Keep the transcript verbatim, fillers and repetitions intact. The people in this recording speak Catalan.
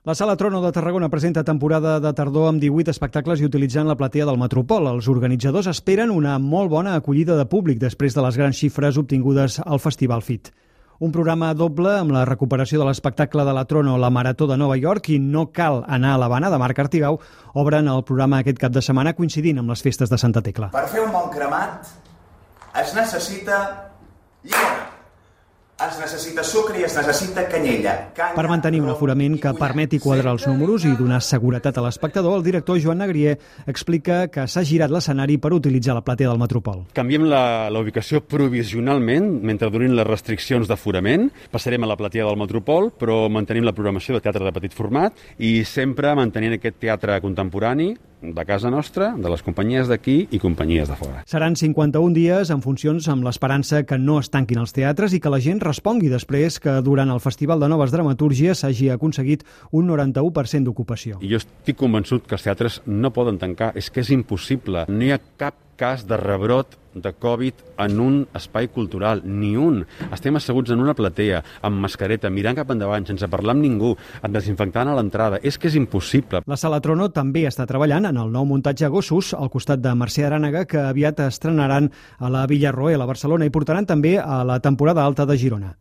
La Sala Trono de Tarragona presenta temporada de tardor amb divuit espectacles i utilitzant la platea del Metropol. Els organitzadors esperen una molt bona acollida de públic després de les grans xifres obtingudes al Festival Fit. Un programa doble amb la recuperació de l'espectacle de la Trono, la Marató de Nova York i No cal anar a l'Havana, de Marc Artigau, obren el programa aquest cap de setmana coincidint amb les festes de Santa Tecla. Per fer un bon cremat es necessita llimona. Es necessita sucre i es necessita canyella. Canya, per mantenir un aforament que permeti quadrar els números i donar seguretat a l'espectador, el director Joan Negrier explica que s'ha girat l'escenari per utilitzar la platea del Metropol. Canviem la, la ubicació provisionalment mentre durin les restriccions d'aforament. Passarem a la platea del Metropol, però mantenim la programació de teatre de petit format i sempre mantenint aquest teatre contemporani de casa nostra, de les companyies d'aquí i companyies de fora. Seran cinquanta-un dies en funcions amb l'esperança que no es tanquin els teatres i que la gent respongui després que durant el Festival de Noves Dramatúrgies s'hagi aconseguit un noranta-u per cent d'ocupació. I jo estic convençut que els teatres no poden tancar, és que és impossible. No hi ha cap cas de rebrot de Covid en un espai cultural, ni un. Estem asseguts en una platea, amb mascareta, mirant cap endavant, sense parlar amb ningú, desinfectant a l'entrada. És que és impossible. La Sala Trono també està treballant en el nou muntatge Gossos, al costat de Mercè Arànega, que aviat estrenaran a la Villarroel, a Barcelona, i portaran també a la temporada alta de Girona.